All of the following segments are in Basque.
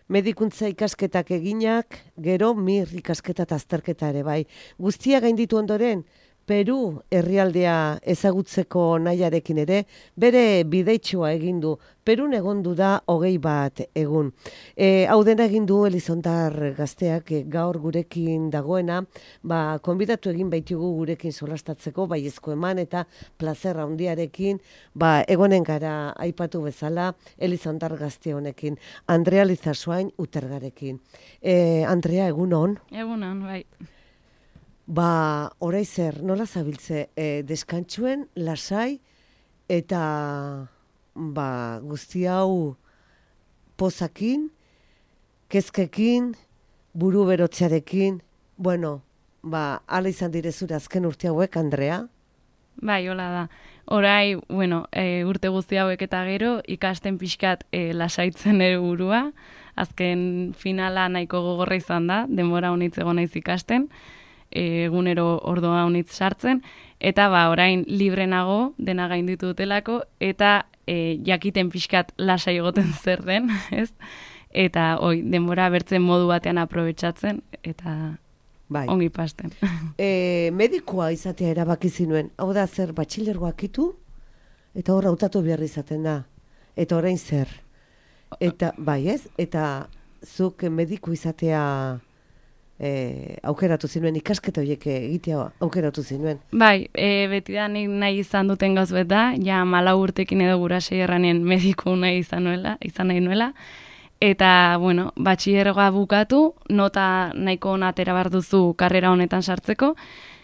medikuntza ikasketak eginak, gero mir ikasketa eta azterketa ere bai. Guztia gainditu ondoren, Peru herrialdea ezagutzeko nahiarekin ere, bere bideitxoa egin du. Perun egondu da 21 egun. Hau dena egin du Elizondar gazteak gaur gurekin dagoena, konbidatu egin baitugu gurekin solastatzeko, baiezko eman eta plazerra handiarekin, egonen gara aipatu bezala Elizondar gazte honekin. Andrea Lizasoain Utergarekin. Andrea, egun on? Egun on, bai. Orai zer, nola zabiltze, deskantzuen, lasai, eta guzti hau pozakin, kezkekin, buru berotzearekin, ala izan direzura azken urte hauek, Andrea? Bai, hola da. Orai, urte guzti hauek eta gero, ikasten pixkat lasaitzen ere burua, azken finala nahiko gogorra izan da, denbora honitz egon naiz ikasten, egunero ordoa honitz sartzen, eta orain libre nago, dena gainditu dutelako, eta jakiten pixkat lasai egoten zer den, ez? Eta denbora bertzen modu batean aprobetxatzen, eta ongi pasten. Medikoa izatea erabaki zinuen, hau da zer batxilergoak itu, eta hor hautatu behar izaten da. Eta orain zer? Eta, eta zuk mediku izatea aukeratu zinuen, ikasketa horiek egitea aukeratu zinuen. Bai, beti da nahi izan duten gauz da, ja 4 urtekin edo gurasei erranen mediku nahi izan nahi nuela, eta, batxilergoa bukatu, nota nahiko ona atera behar duzu karrera honetan sartzeko,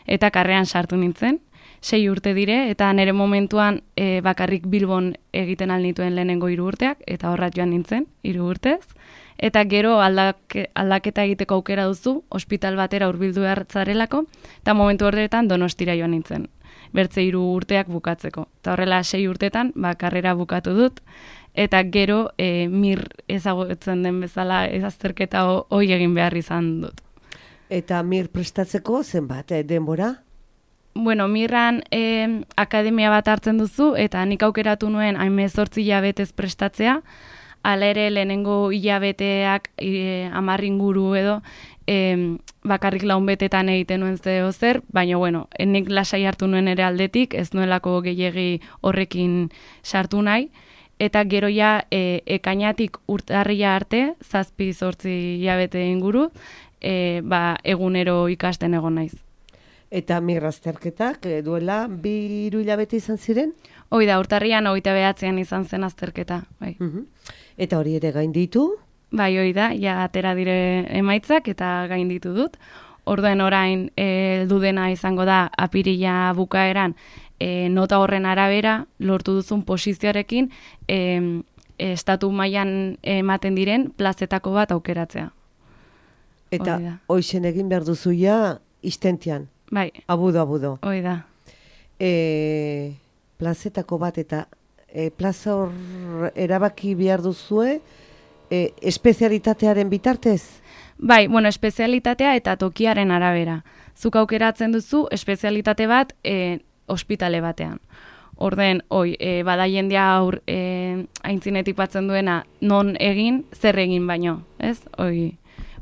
eta karreran sartu nintzen, 6 urte dire, eta nire momentuan bakarrik Bilbon egiten alnituen lehenengo 3 urteak, eta horrat joan nintzen, 3 urtez, eta gero aldaketa egiteko aukera duzu, ospital batera hurbildu hartzarelako, eta momentu horretan Donostira joan nintzen, bertze 3 urteak bukatzeko. Eta horrela 6 urtetan, karrera bukatu dut, eta gero mir ezagutzen den bezala azterketa hoi egin behar izan dut. Eta mir prestatzeko zenbat denbora? Mirran akademia bat hartzen duzu, eta nik aukeratu nuen 18 hilabetez prestatzea, hala ere lehenengo hilabeteak 10 inguru edo bakarrik 4 betetan egiten nuen zer, baina nik lasai hartu nuen ere aldetik, ez nuelako gehiegi horrekin sartu nahi, eta gero ja ekainatik urtarrila arte, 7-8 hilabete inguru, egunero ikasten egon naiz. Eta migrazterketak duela 2-3 hilabete izan ziren? Hoi da, urtarrian 29an izan zen azterketa. Bai. Eta hori ere gainditu? Bai, hoi da, ja atera dire emaitzak eta gainditu dut. Orduen orain heldu dena izango da apirila bukaeran nota horren arabera lortu duzun posizioarekin estatu mailan ematen diren plazetako bat aukeratzea. Eta hoixen egin behar duzu ja istentian? Bai. Abudo. Hoi da. Plazetako bat eta plaza hor erabaki behar duzue espezialitatearen bitartez? Bai, espezialitatea eta tokiaren arabera. Zuk aukeratzen duzu espezialitate bat ospitale batean. Orden, bada jendea aintzinetik batzen duena non egin, zer egin baino, ez?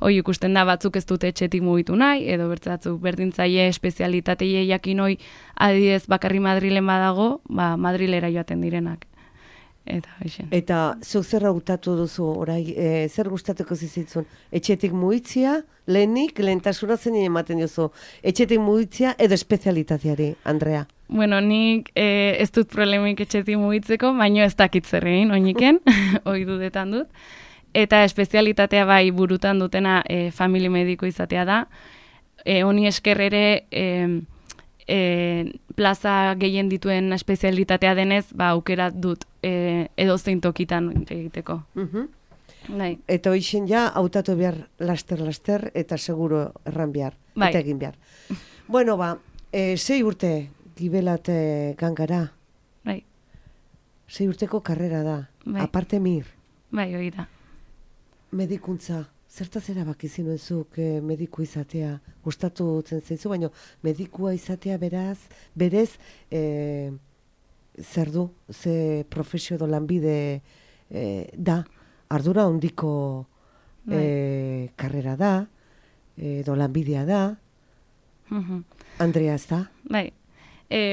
Hoi ikusten da batzuk ez dute etxetik mugitu nahi, edo bertzatzuk berdintzaile espezialitateie jakin hoi adidez bakarri Madrilen badago, Madrilera joaten direnak. Eta zuk zer hautatu duzu, orai, zer gustatuko zizitzun? Etxetik mugitzia, lehentasuna zen ematen duzu, etxetik mugitzia edo espezialitateari, Andrea? Nik ez dut problemik etxetik mugitzeko, baino ez dakit zer egin, oiniken, hoi dudetan dut. Eta espezialitatea bai burutan dutena famili mediko izatea da. Honi esker ere plaza gehien dituen espezialitatea denez, aukera dut edozein tokitan egiteko. Eta hoixen ja, hautatu behar laster, eta seguro erran behar, eta egin behar. 6 urte gibelat gangara. 6 urteko karrera da, aparte mir. Bai, hori da. Medikuntza, zertaz erabaki zinuzuk mediku izatea, gustatu zen zaizu, baina medikua izatea berez, zer du, ze profesio edo lanbide da, ardura handiko karrera da, edo lanbidea da, Andrea ez da? Bai.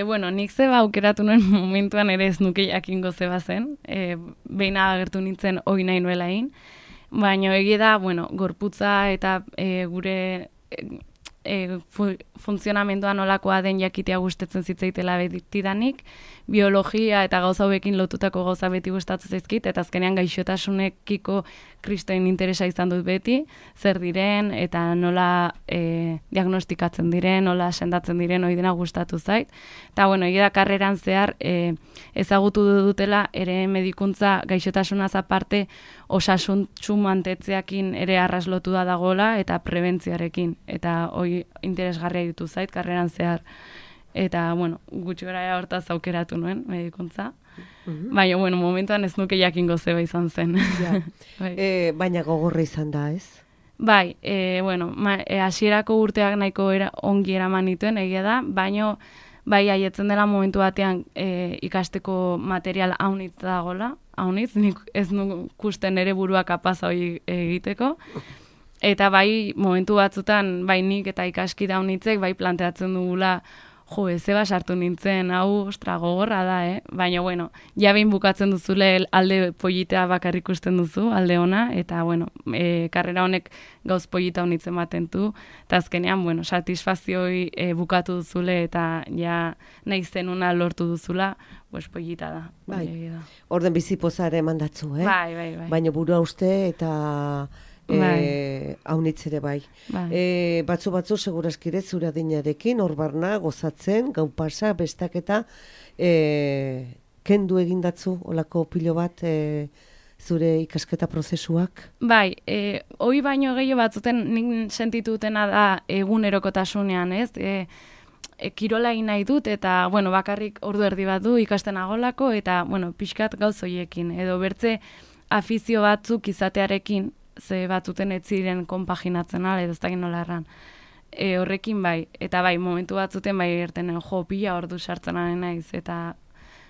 Bueno, nik zeba aukeratu nuen momentuan ere ez nuke jakingo zeba zen, behin agertu nintzen hori nahi nuela egin, baina egia da, bueno, gorputza eta gure funtzionamendua nolakoa den jakitea gustatzen zitzaitela betidanik, biologia eta gauza hauekin lotutako gauza beti gustatzen zaizkit, eta azkenean gaixotasunekiko kristoen interesa izan dut beti, zer diren, eta nola diagnostikatzen diren, nola sendatzen diren, hori dena gustatu zait. Eta, bueno, egia da karreran zehar ezagutu dutela ere medikuntza gaixotasunaz aparte osasuntsu mantetzeakin ere arraslotu da dagoela eta prebentzioarekin. Eta hori interesgarria ditu zait karreran zehar. Eta, bueno, gutxi gara hortaz aukeratu nuen medikuntza. Baina, bueno, momentuan ez nuke jakingo zeba izan zen. Ja. Baina gogorra izan da, ez? Bai, bueno, hasierako urteak nahiko ongi eraman nituen, egia da, baina bai haietzen dela momentu batean ikasteko material haunitz dagoela, haunitz, nik ez nukusten ere burua kapaz hori egiteko, eta bai momentu batzutan, bai nik eta ikaskide haunitzek, bai planteatzen dugula, zeba sartu nintzen, hau, ostra, gogorra da, Baina, bueno, behin bukatzen duzule alde politea bakarrik ikusten duzu, alde ona, eta, bueno, karrera honek gauz polita honitzen baten du, eta azkenean, bueno, satisfazioi bukatu duzule, eta ja nahi zenuna lortu duzula, pues polita da. Bai, orden bizipozare mandatzu, Bai. Baina burua uste eta haunitzere bai. Batzu segurazkire zure adinarekin, hor barna, gozatzen, gau pasa, bestaketa, kendu egindatzu, olako pilo bat, zure ikasketa prozesuak? Bai, hoi baino gehiago batzuten nik sentitu dutena da egunerokotasunean, ez? Kirola egin nahi dut, eta, bueno, bakarrik ordu erdi bat du ikasten agolako, eta, bueno, pixkat gauz hoiekin, edo bertze afizio batzuk izatearekin, ze batzuten ez ziren konpaginatzen edo ez dakit nola erran. Horrekin bai, eta bai, momentu batzuten bai ertenen pila ordu sartzen naiz, eta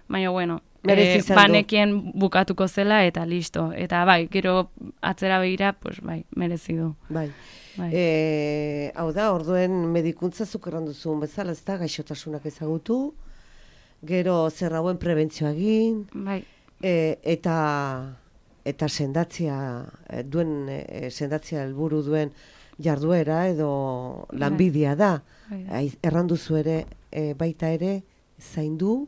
baina, bueno, banekien bukatuko zela, eta listo. Eta bai, gero atzera begira, pues bai, merezi du. Bai. Hau da, orduen medikuntza zuk erranduzun bezala, ez da, gaixotasunak ezagutu, gero zerrauen prebentzioa egin, bai. Eta sendatzia helburu duen jarduera edo lanbidea da. Erranduzu ere, baita ere, zaindu,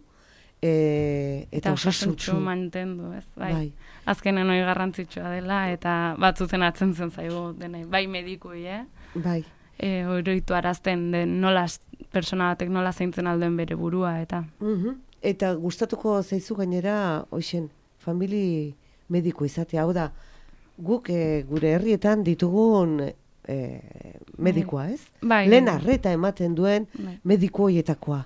eta osasuntsu mantendu, ez? Bai. Azkenen hori garrantzitsua dela, eta batzuten atzen zen zaigu denei. Bai medikui, Bai. Oroitu arazten den nola, persona batek nola zaintzen alduen bere burua, eta... Eta gustatuko zaizu gainera, hoixen, famili mediku izatea, hau da, guk gure herrietan ditugun medikoa, ez? Bai. Lehen arreta ematen duen mediku hoietakoa.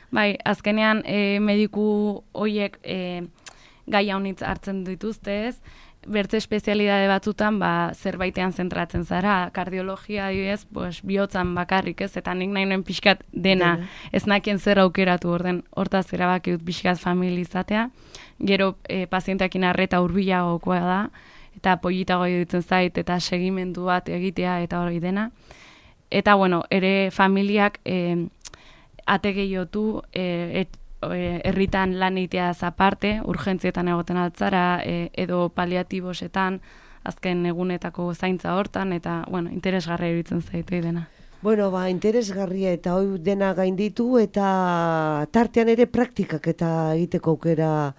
Bai, azkenean mediku hoiek gai haunitz hartzen dituzte, ez? Bertze espezialidade batzutan zerbaitean zentratzen zara, kardiologia adibidez, pues bihotzan bakarrik, ez? Eta nik nahi nuen pixkat dena, ez nakien zer aukeratu hortaz erabaki dut pixkat familizatea. Gero pazienteakin arreta hurbilagokoa da, eta politago ditzen zait, eta segimendu bat egitea, eta hori dena. Eta, bueno, ere familiak ate gehiotu, herritan lan egiteaz aparte, urgentzietan egoten altzara, edo paliatibosetan, azken egunetako zaintza hortan, eta, bueno, interesgarria iruditzen zaitu dena. Bueno, interesgarria eta hoi dena gainditu, eta tartean ere praktikak eta egiteko aukera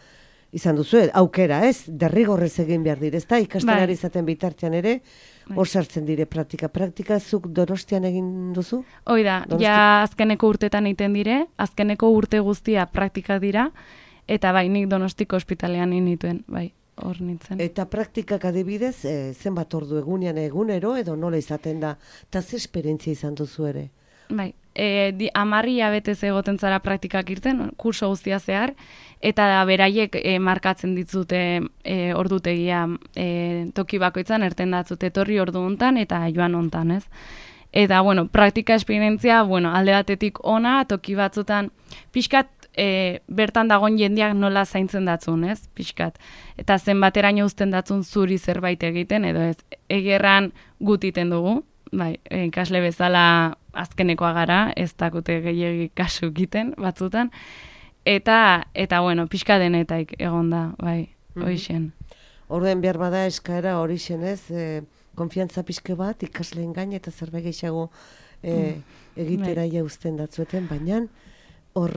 izan duzu, aukera, ez? Derrigorrez egin behar dire, ez da? Ikastenari izaten bitartean ere, hor sartzen dire praktika zuk Donostian egin duzu? Hoi da, ja azkeneko urtetan egiten dire, azkeneko urte guztia praktika dira, eta bai, nik Donostiko ospitalean nituen, bai, hor nintzen. Eta praktikak adibidez, zenbat ordu egunero, edo nola izaten da, eta ze esperientzia izan duzu ere? Bai, 10 hilabetez egoten zara praktikak irten, kurso guztia zehar, eta beraiek markatzen ditzute ordutegia toki bakoitzan erten datzute etorri ordu hontan eta joan hontan, ez? Eta, bueno, praktika esperientzia, bueno, alde batetik ona, toki batzutan, pixkat bertan dagoen jendeak nola zaintzen datzun, ez, pixkat. Eta zenbateraino uzten datzun zuri zerbait egiten, edo ez, egerran gutiten dugu, bai, ikasle bezala azkenekoa gara, ez dakute gehiegi kasu egiten batzutan, eta bueno, pixka denetaik egon da, bai, hoixen. Orduen behar bada eskaera horixen, ez, konfiantza pixke bat, ikasleen gain eta zerbait gehiago egitera jauzten datzueten, baina hor,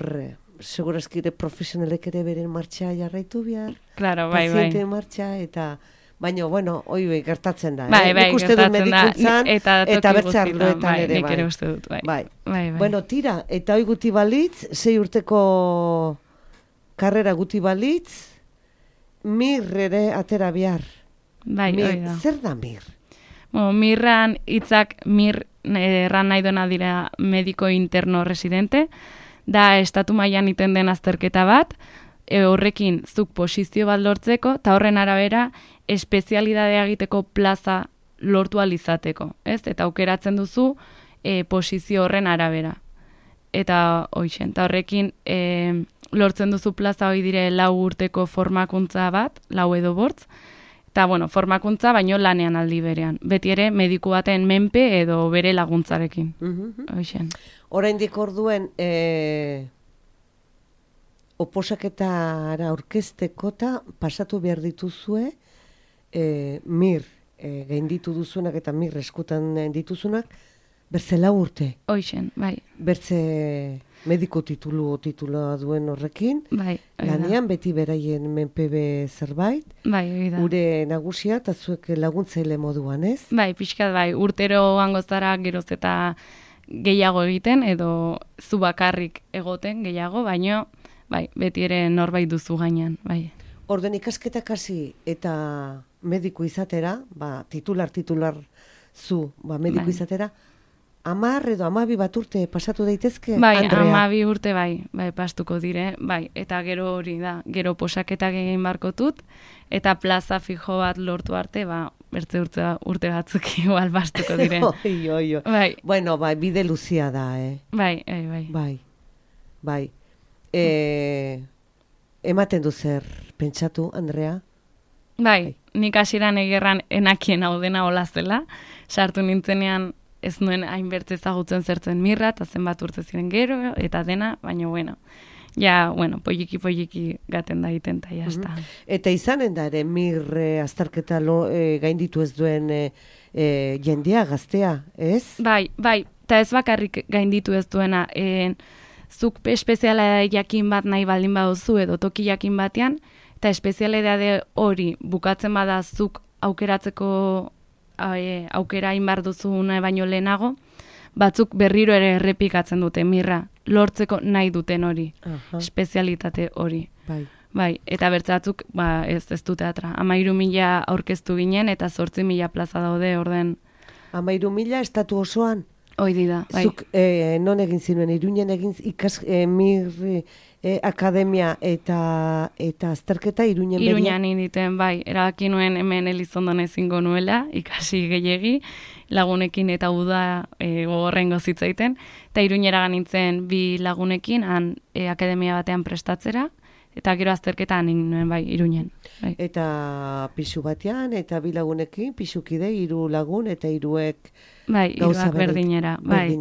segurazkire profesionalek ere beren martxa jarraitu behar, paziente martxa, eta baina, bueno, hoi gertatzen da. Nik uste dut medikuntzan eta bertze arloetan ere, nik ere uste dut, bai. Bueno, tira, eta hoi guti balitz, 6 urteko karrera guti balitz, mir ere atera behar. Bai, hoi da. Zer da mir? Mirran hitzak erran nahi dena dira mediko interno residente, da estatu mailan iten den azterketa bat, horrekin zuk posizio bat lortzeko, eta horren arabera espezialidadea egiteko plaza lortu alizateko, ez? Eta aukeratzen duzu posizio horren arabera. Eta hoixen, eta horrekin lortzen duzu plaza hoi dire 4 urteko formakuntza bat, 4 edo 5, eta bueno, formakuntza baino lanean aldi berean. Beti ere mediku baten menpe edo bere laguntzarekin. Hoixen. Oraindik orduen oposaketara aurkeztekota pasatu behar dituzue mir gainditu duzunak eta mir eskutan dituzunak bertze 4 urte. Hoixen, bai. Bertze mediko tituloa duen horrekin, bai, lanean beti beraien menpebe zerbait, bai, oida. Gure nagusia eta zuek laguntzaile moduan, ez? Bai, pixkat bai, urtero angozara geroz eta gehiago egiten, edo zu bakarrik egoten gehiago, baino bai, beti ere norbait duzu gainean, bai. Orden ikasketak hasi eta mediku izatera, titular zu, mediku izatera, 10 edo 12 bat urte pasatu daitezke, bai, Andrea? 12 urte bai, pastuko dire, bai, eta gero hori da, gero posaketak egin barkotut, eta plaza fijo bat lortu arte, bertze urte batzuk igual pastuko dire. Oi. Bai. Bueno, bide luzia da, Bai. Ematen du zer pentsatu, Andrea? Bai, nik hasieran egerran enakien hau dena hola zela, sartu nintzenean ez nuen hainbertze ezagutzen zertzen mirra, eta zenbat urte ziren gero, eta dena, baina poliki gaten da egiten, eta jazta. Eta izanen da ere, mir azterketa gainditu ez duen jendea, gaztea, ez? Bai, eta ez bakarrik gainditu ez duena, zuk espeziala jakin bat nahi baldin baduzu, edo toki jakin batean, eta espezialidade hori bukatzen bada zuk aukeratzeko aukera inbar duzu baino lehenago, batzuk berriro ere errepikatzen dute mirra, lortzeko nahi duten hori, espezialitate hori. Bai, eta bertzatzuk ez dute atra. 13.000 aurkeztu ginen eta 8.000 plaza daude orden. 13.000 estatu osoan? Hoi da, bai. Zuk non egin zinuen, Iruñen egin mir akademia eta azterketa Iruñen beria? Iruñan inditen, bai. Erabaki nuen hemen Elizondon ezingo nuela, ikasi gehiegi, lagunekin eta uda gogorrengo zitzaiten. Eta Iruñera nintzen 2 lagunekin, akademia batean prestatzera, eta gero azterketan nuen, bai, Iruñen. Bai. Eta pisu batean, eta 2 lagunekin, pisukide, 3 lagun, eta 3ek bai, iruak berdinera. Bai.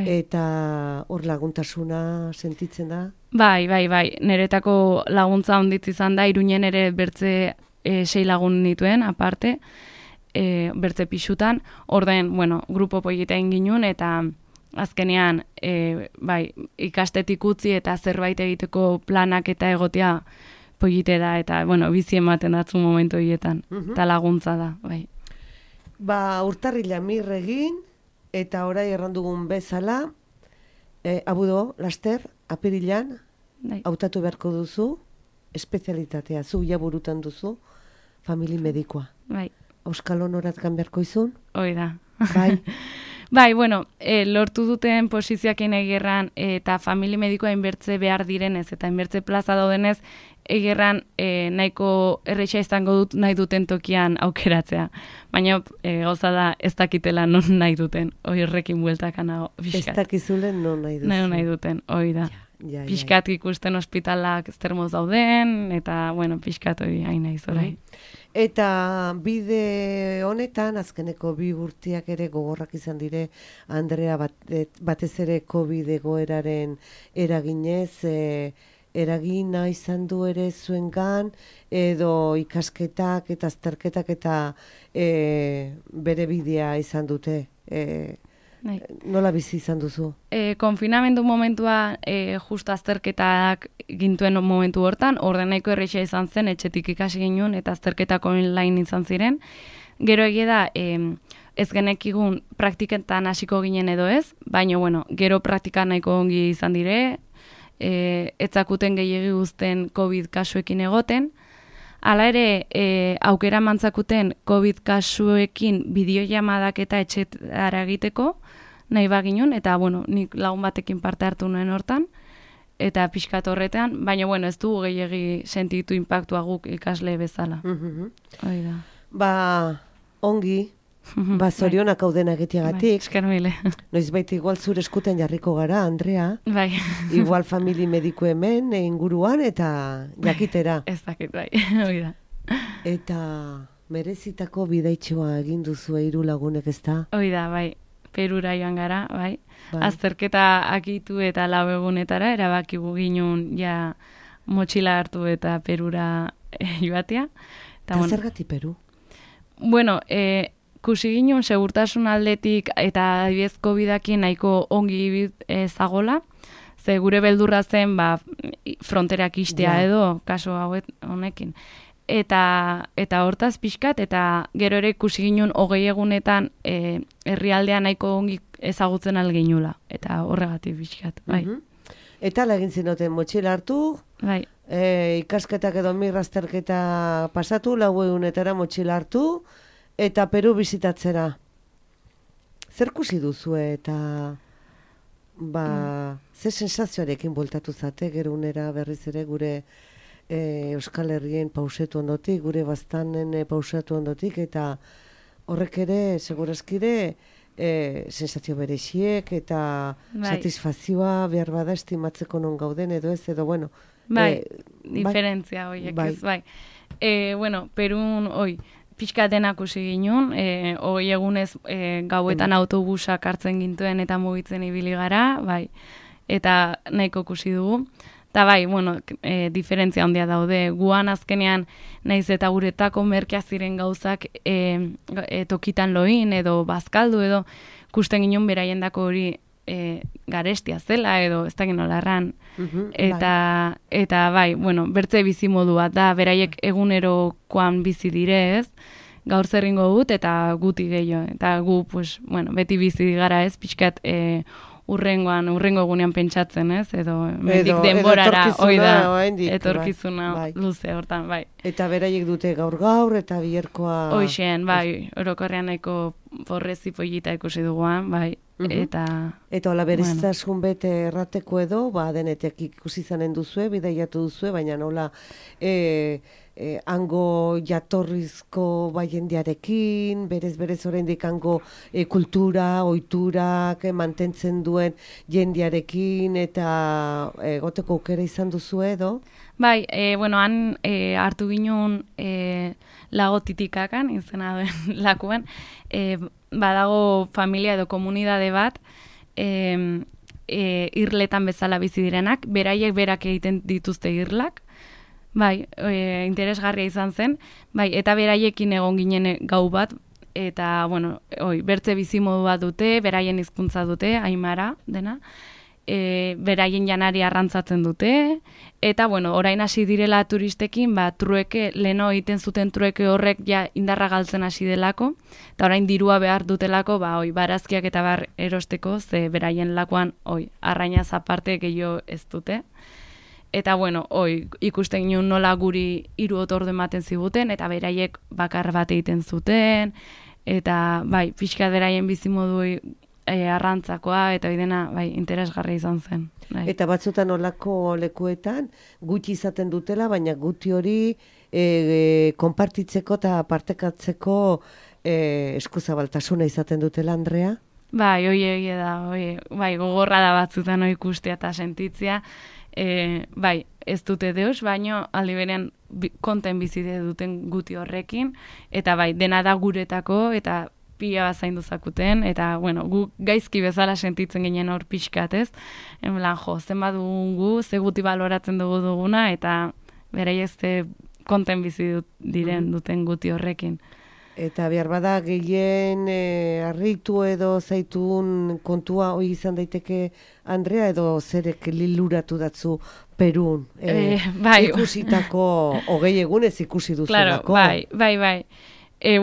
Eta hor laguntasuna sentitzen da? Bai. Neretako laguntza onditz izan da, Iruñen ere bertze 6 lagun nituen, aparte, bertze pisutan. Orden, grupo polita inginun, eta azkenean, ikastetik utzi eta zerbait egiteko planak eta egotea polite da, eta, bizi ematen datzu momentu hietan, eta laguntza da, bai. Urtarrila mir egin, eta orai errandugun bezala, abudo, laster, apirilan, hautatu beharko duzu, espezialitatea, zu jaburutan duzu, famili medikoa. Bai. Euskal honoratkan beharko izun? Hoi da. Bai. Bai, lortu duten posizioakin egerran eta famili medikoa inbertze behar direnez eta inbertze plaza daudenez, egerran nahiko erreixa izango dut nahi duten tokian aukeratzea. Baina gauza da ez dakitela non nahi duten, hori horrekin bueltakanago. Ez dakizulen non nahi duten. Non nahi duten, hori da. pixkat ikusten ospitalak zermoz dauden, eta, bueno, pixkat hori hain naiz orai. Eta bide honetan, azkeneko 2 urteak ere gogorrak izan dire, Andrea, batez ere COVID egoeraren eraginez, eragina izan du ere zuengan, edo ikasketak eta azterketak eta bere bidea izan dute. Nola bizi izan duzu? Konfinamendu momentua justu azterketak gintuen momentu hortan, nahiko errexea izan zen, etxetik ikasi ginen, eta azterketak online izan ziren. Gero egia da, ez genekigun praktiketan hasiko ginen edo ez, baina, bueno, gero praktika nahiko ongi izan dire, etzakuten gehiagi guzten COVID kasuekin egoten. Hala ere, aukera mantzakuten COVID kasuekin bideojamadak eta etxetara egiteko, nahi baginun, eta, bueno, nik lagun batekin parte hartu nuen hortan, eta pixkat horretan, baina, bueno, ez dugu gehiagi sentitu inpaktua guk ikasle bezala. Hoi da. Ba, ongi, zorionak hauden egiteagatik. Esker mile. Noizbait igual zure eskuten jarriko gara, Andrea. Bai. Igual famili mediku hemen, inguruan, eta jakitera. Ez dakit, bai, hoi da. Eta merezitako bidaitxoa egin duzu 3 lagunek, ezta? Hoi da, bai. Perura joan gara, bai. Azterketa akitu eta 4 egunetara, erabakigu ginen ja motxila hartu eta Perura joatea. Eta zergatik Peru? Bueno, kusi ginen segurtasun aldetik eta adibidez COVID-akin nahiko ongi zagola, ze gure beldurra zen fronterak istea edo, kaso hauet honekin. Eta hortaz pixkat, eta gero ere ikusi ginen 20 egunetan herrialdea nahiko ongi ezagutzen alginula, eta horregatik pixkat, bai. Eta lagin zinoten motxila hartu, bai. Ikasketak edo mirrazterketa pasatu, 4 egunetara motxila hartu, eta Peru bizitatzera. Zer kusi duzu eta ze sensazioarekin bueltatu zate, gero unera berriz ere gure Euskal Herrien pausetu ondotik, gure baztanen pausatu ondotik, eta horrek ere, segurazkire, sensazio berexiek eta satisfazioa behar bada estimatzeko non gauden edo ez, edo bueno. Diferentzia horiek ez, bai. Bueno, Perun, pixka denak usi ginen, 20 egunez gauetan autobusak hartzen gintuen eta mugitzen ibili gara, bai, eta nahiko kusi dugu. Eta bai, bueno, diferentzia handia daude. Guan azkenean, naiz eta guretako merkea ziren gauzak tokitan loin edo bazkaldu edo kusten ginen beraiendako hori garestia zela edo ez dakit nola erran. Eta bai, bueno, bertze bizimodua da, beraiek egunerokoan bizi direz, gaur zerringo dut eta guti gehiago. Eta gu, pues, bueno, beti bizi gara ez, pixkat urrengo egunean pentsatzen, ez? Edo mendik denborara, etorkizuna luze hortan, bai. Eta beraiek dute gaur eta biherkoa... Hoixen, bai, orokorrean nahiko porrezi pollita ikusi duguan, bai. Eta hola bereztasun bete errateko edo, denetek ikusi zanen duzue, bidaiatu duzue, baina nola hango jatorrizko jendearekin, berez oraindik hango kultura, ohiturak mantentzen duen jendearekin, eta goteko aukera izan duzu edo? Bai, bueno, han hartu ginen lago titikakan, izena duen lakuan, badago familia edo komunidade bat, irletan bezala bizi direnak, beraiek berak egiten dituzte irlak, bai, interesgarria izan zen, bai, eta beraiekin egon ginen gau bat, eta, bueno, bertze bizimodu bat dute, beraien hizkuntza dute, aimara dena, beraien janari arrantzatzen dute, eta, bueno, orain hasi direla turistekin, trueke, leno egiten zuten trueke horrek ja indarra galtzen hasi delako, eta orain dirua behar dutelako, barazkiak eta bar erosteko, ze beraien lakoan, arrainaz aparte gehiago ez dute. Eta, bueno, ikusten ginen nola guri 3 otordu ematen ziguten, eta beraiek bakar bat egiten zuten, eta, bai, pixkat beraien bizimodu arrantzakoa, eta bidena, bai, interesgarria izan zen. Bai. Eta batzutan olako lekuetan, gutxi izaten dutela, baina guti hori konpartitzeko eta partekatzeko eskuzabaltasuna izaten dutela, Andrea? Bai, hoi egia da, bai, gogorra da batzutan hoi ikustea eta sentitzea, bai, ez dute deus, baino aldi berean konten bizide duten guti horrekin, eta bai, dena da guretako, eta pila bat zaindu zakuten, eta, bueno, gu gaizki bezala sentitzen ginen hor pixkat, ez? Enblan, zenbat dugun gu, ze guti baloratzen duguna, eta berai ez konten bizi diren duten guti horrekin. Eta behar bada gehien harritu edo zaitun kontua hoi izan daiteke Andrea edo zerek liluratu datzu Perun bai. ikusitako hogei egunez ikusi duzulako. Claro, bai.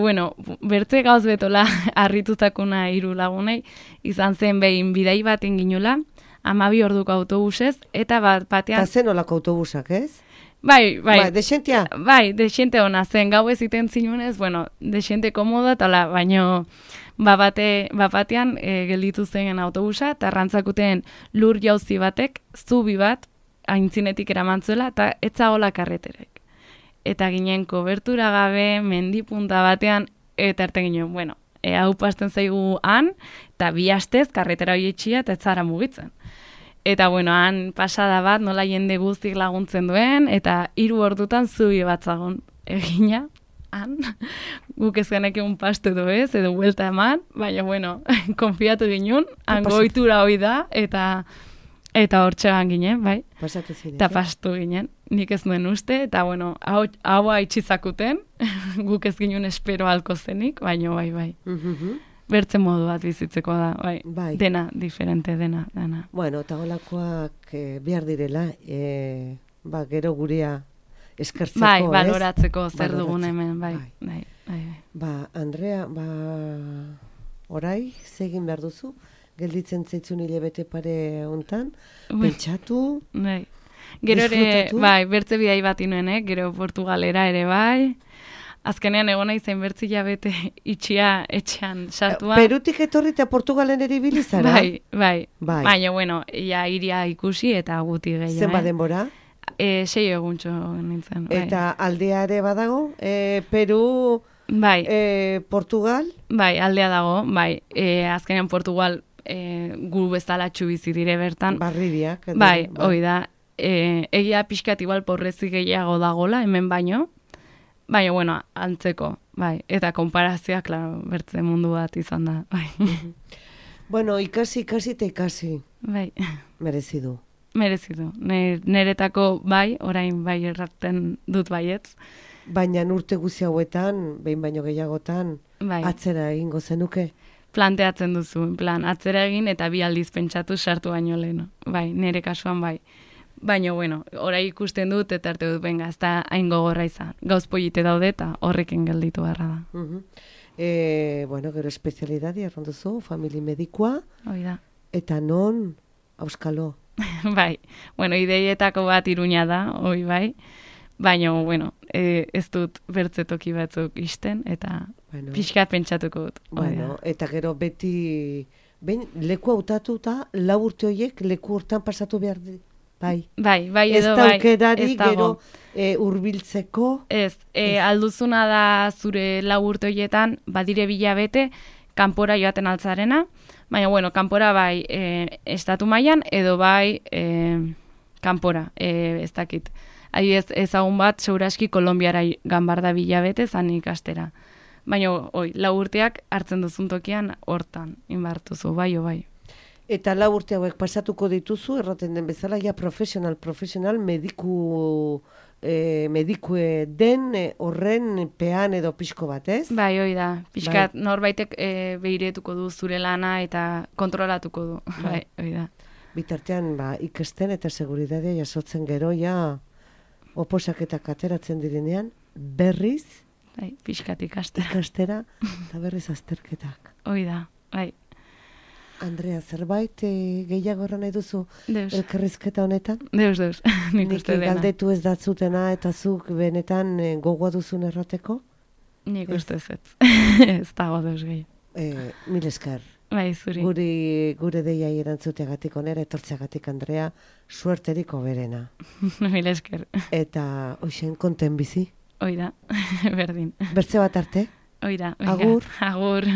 Bueno, bertze gauz betola harritutakuna hiru lagunei izan zen behin bidai baten ginula, 12 orduko autobusez, eta batean... Eta zen olako autobusak, ez? Bai. Desentia? Bai, desente hona zen, gau ez iten zinunez, bueno, desente komoda, tala, baino batean gelditu zen autobusa, eta rantzakuten lur jauzi batek, zubi bat, aintzinetik eramantzuela, eta etzagola karreterek. Eta ginen kobertura gabe, mendipunta batean, eta erte ginen, bueno, hau pasten zaigu han, eta bi astez karretera hori etxia, eta etzara mugitzen. Eta, bueno, han pasada bat, nola jende guztik laguntzen duen, eta 3 ordutan zubi bat zagon egina, han, guk ez genek egun paste du ez, edo buelta eman, baina, bueno, konfiatu ginen, han goitura hoi da, eta hor txegan ginen, bai. Pasatu ziren. Eta pastu ginen, nik ez nuen uste, eta, bueno, hau haitxizakuten, guk ez ginen espero halko zenik, baina, bai. Bertze modu bat bizitzeko da, bai. Dena, diferente, dena. Bueno, eta holakoak behar direla, gero gurea eskertzeko, bai, baloratzeko zer dugun hemen, bai. Andrea, orai, zegin behar duzu, gelditzen zaitzun hilabete pare hontan, pentsatu, bai. Gero ere, bai, bertze bidai bat inuen, gero Portugalera ere bai, azkenean egona izan bertzi jabete itxia etxean sartua. Perutik etorri eta Portugalen ere ibilizara? Bai. Baina, bueno, ia iria ikusi eta guti gehiago. Zenba denbora? 6 eguntxo nintzen. Eta aldea ere badago? Peru, bai. Portugal? Bai, aldea dago, bai. Azkenean Portugal gu bezalatxu bizi dire bertan. Barribiak. Bai, hoi da. Egia pixkat igual porrezi gehiago dagola, hemen baino. Baina, bueno, antzeko, bai. Eta konparazioa, klaro, bertze mundu bat izan da, bai. Bueno, ikasi eta ikasi. Bai. Merezi du. Neretako bai, orain bai erraten dut baietz. Baina urte guzi hauetan, behin baino gehiagotan, bai. Atzera egingo zenuke? Planteatzen duzu, en plan, atzera egin eta 2 aldiz pentsatu sartu baino lehen. Bai, nere kasuan bai. Baina, bueno, orai ikusten dut, eta arte dut, benga, ez da hain gogorra izan. Gauz polite daude eta horrekin gelditu beharra da. Bueno, gero espezialidadi erranduzu, famili medikua. Hoi da. Eta non, auskalo? Bai, bueno, ideietako bat Iruña da, hoi bai. Baina, bueno, ez dut bertzetoki batzuk isten, eta pixkat pentsatuko dut. Bueno, eta gero beti, leku hautatuta, 4 urte horiek leku hortan pasatu behar di. Bai, edo bai. Ez da aukerari gero hurbiltzeko. Ez, alduzuna da zure 4 urte horietan, badire 2 hilabete, kanpora joaten altzarena, baina, bueno, kanpora bai estatu mailan edo bai kanpora, ez dakit. Adibidez, ezagun bat, seguraski Kolonbiara ganbarda 2 hilabete zan ikastera. Baina, 4 urteak hartzen duzun tokian hortan, inbartuzu, bai. Eta 4 urte hauek pasatuko dituzu, erraten den bezala, ja profesional, medikue den horren pean edo pixko bat, ez? Bai, hoi da. Pixkat norbaitek behiretuko du zure lana eta kontrolatuko du. Bai, hoi da. Bitartean, ikasten eta seguridadea jasotzen gero, ja, oposaketak ateratzen direnean, berriz, bai, pixkat ikastera. Ikastera, eta berriz azterketak. Hoi da, bai. Andrea, zerbait gehiago nahi duzu elkarrizketa honetan? Deus, nik uste dena. Galdetu ez datzutena eta zuk benetan gogoa duzun errateko? Nik uste ez. Ez dago deus gehi. Mil esker. Bai, zuri. Gure deiai erantzuteagatik onera, etortzeagatik Andrea, suerterik hoberena. Mil esker. Eta hoxen konten bizi? Oida, berdin. Bertze bat arte? Oida. Agur. Agur.